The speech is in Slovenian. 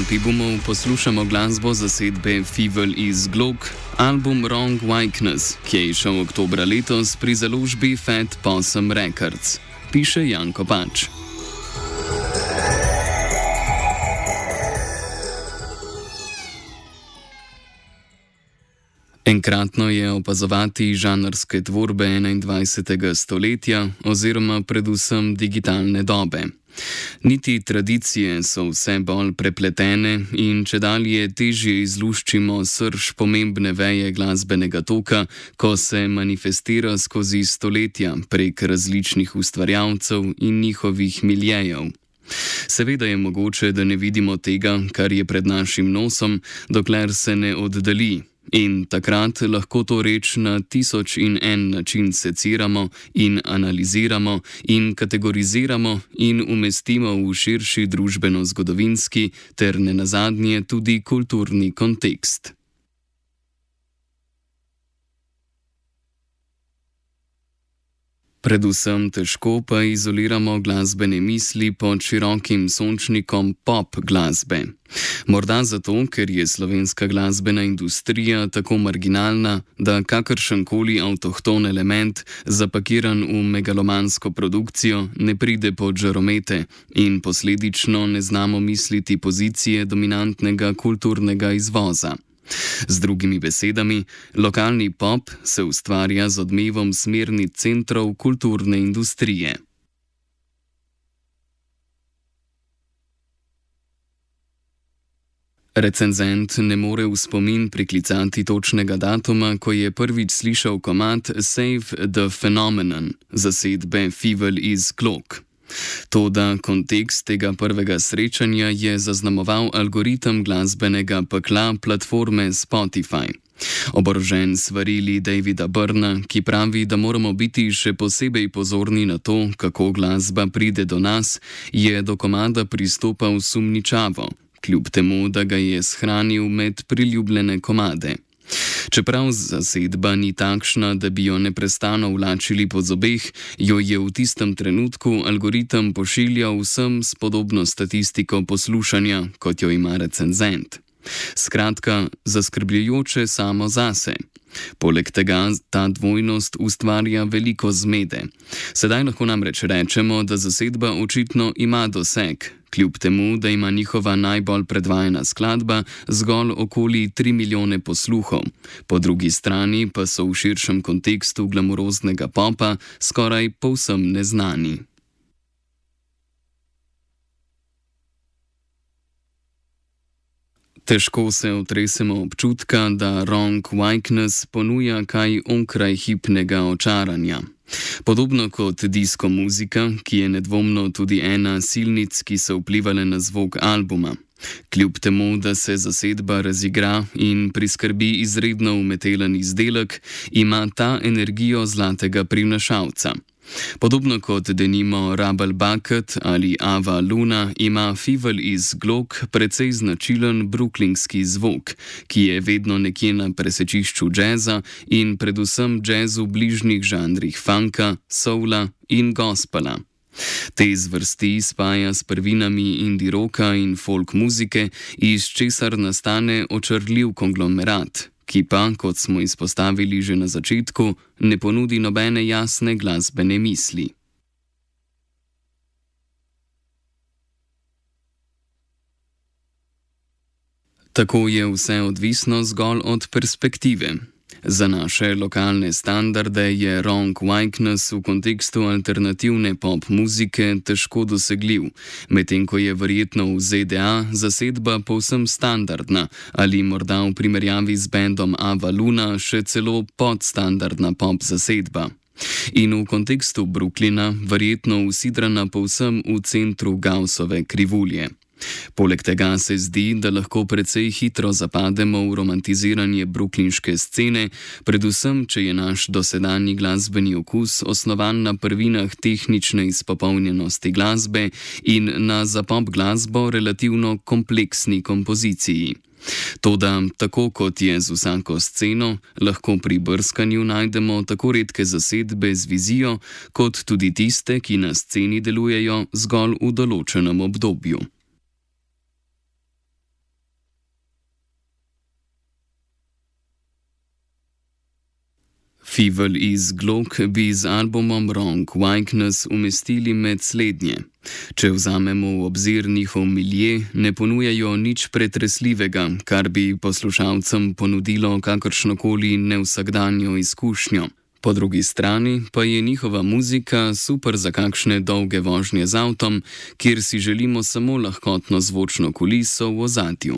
Pibumov poslušamo glasbo zasedbe Fievel iz Glok, album Wrong Wikeness, ki je izšel oktobra letos pri založbi Fat Possum Records, piše Janko Pač. Enkratno je opazovati žanrske tvorbe 21. stoletja oziroma predvsem digitalne dobe. Niti tradicije so vse bolj prepletene in čedalje težje izluščimo srž pomembne veje glasbenega toka, ko se manifestira skozi stoletja prek različnih ustvarjalcev in njihovih miljejev. Seveda je mogoče, da ne vidimo tega, kar je pred našim nosom, dokler se ne oddalji. In takrat lahko to reč na 1001 način seciramo in analiziramo in kategoriziramo in umestimo v širši družbeno-zgodovinski ter nenazadnje tudi kulturni kontekst. Predvsem težko pa izoliramo glasbene misli pod širokim sončnikom pop glasbe. Morda zato, ker je slovenska glasbena industrija tako marginalna, da kakršenkoli avtohton element, zapakiran v megalomansko produkcijo, ne pride pod žaromete in posledično ne znamo misliti pozicije dominantnega kulturnega izvoza. Z drugimi besedami, lokalni pop se ustvarja z odmevom smernic centrov kulturne industrije. Recenzent ne more v spomin priklicati točnega datuma, ko je prvič slišal komad Save the Phenomenon zasedbe Fievel iz Glok. Toda kontekst tega prvega srečanja je zaznamoval algoritem glasbenega pekla platforme Spotify. Oborožen svarili Davida Byrna, ki pravi, da moramo biti še posebej pozorni na to, kako glasba pride do nas, je do komada pristopal sumničavo, kljub temu, da ga je shranil med priljubljene komade. Čeprav zasedba ni takšna, da bi jo neprestano vlačili po zobeh, jo je v tistem trenutku algoritem pošiljal vsem s podobno statistiko poslušanja, kot jo ima recenzent. Skratka, zaskrbljujoče samo zase. Poleg tega ta dvojnost ustvarja veliko zmede. Sedaj lahko namreč rečemo, da zasedba očitno ima doseg, kljub temu, da ima njihova najbolj predvajana skladba zgolj okoli 3 milijone posluhov. Po drugi strani pa so v širšem kontekstu glamuroznega popa skoraj povsem neznani. Težko se otresemo občutka, da Wrong Wikeness ponuja kaj onkraj hipnega očaranja. Podobno kot disko muzika, ki je nedvomno tudi ena silnic, ki so vplivale na zvok albuma. Kljub temu, da se zasedba razigra in priskrbi izredno umetelen izdelek, ima ta energijo zlatega prinašalca. Podobno kot denimo Rubble Bucket ali Ava Luna ima Fievel iz Glok precej značilen brooklynski zvok, ki je vedno nekje na presečišču džeza in predvsem džezu bližnjih žanrih funka, soula in gospela. Te zvrsti spaja s prvinami indie rocka in folk muzike, iz česar nastane očarljiv konglomerat, ki pa, kot smo izpostavili že na začetku, ne ponudi nobene jasne glasbene misli. Tako je vse odvisno zgolj od perspektive. Za naše lokalne standarde je Wrong Wikeness v kontekstu alternativne pop muzike težko dosegljiv, medtem ko je verjetno v ZDA zasedba povsem standardna ali morda v primerjavi z bendom Ava Luna še celo podstandardna pop zasedba. In v kontekstu Brooklyna verjetno usidrana povsem v centru Gaussove krivulje. Poleg tega se zdi, da lahko precej hitro zapademo v romantiziranje brooklynške scene, predvsem, če je naš dosedanji glasbeni okus osnovan na prvinah tehnične izpopolnjenosti glasbe in na za pop glasbo relativno kompleksni kompoziciji. Toda, tako kot je z vsako sceno, lahko pri brskanju najdemo tako redke zasedbe z vizijo, kot tudi tiste, ki na sceni delujejo zgolj v določenem obdobju. Fievel iz Glock bi z albumom Wrong Wakeness umestili med slednje. Če vzamemo v obzir njihov milje, ne ponujajo nič pretresljivega, kar bi poslušalcem ponudilo kakršnokoli nevsakdanjo izkušnjo. Po drugi strani pa je njihova muzika super za kakšne dolge vožnje z avtom, kjer si želimo samo lahkotno zvočno kuliso v ozadju.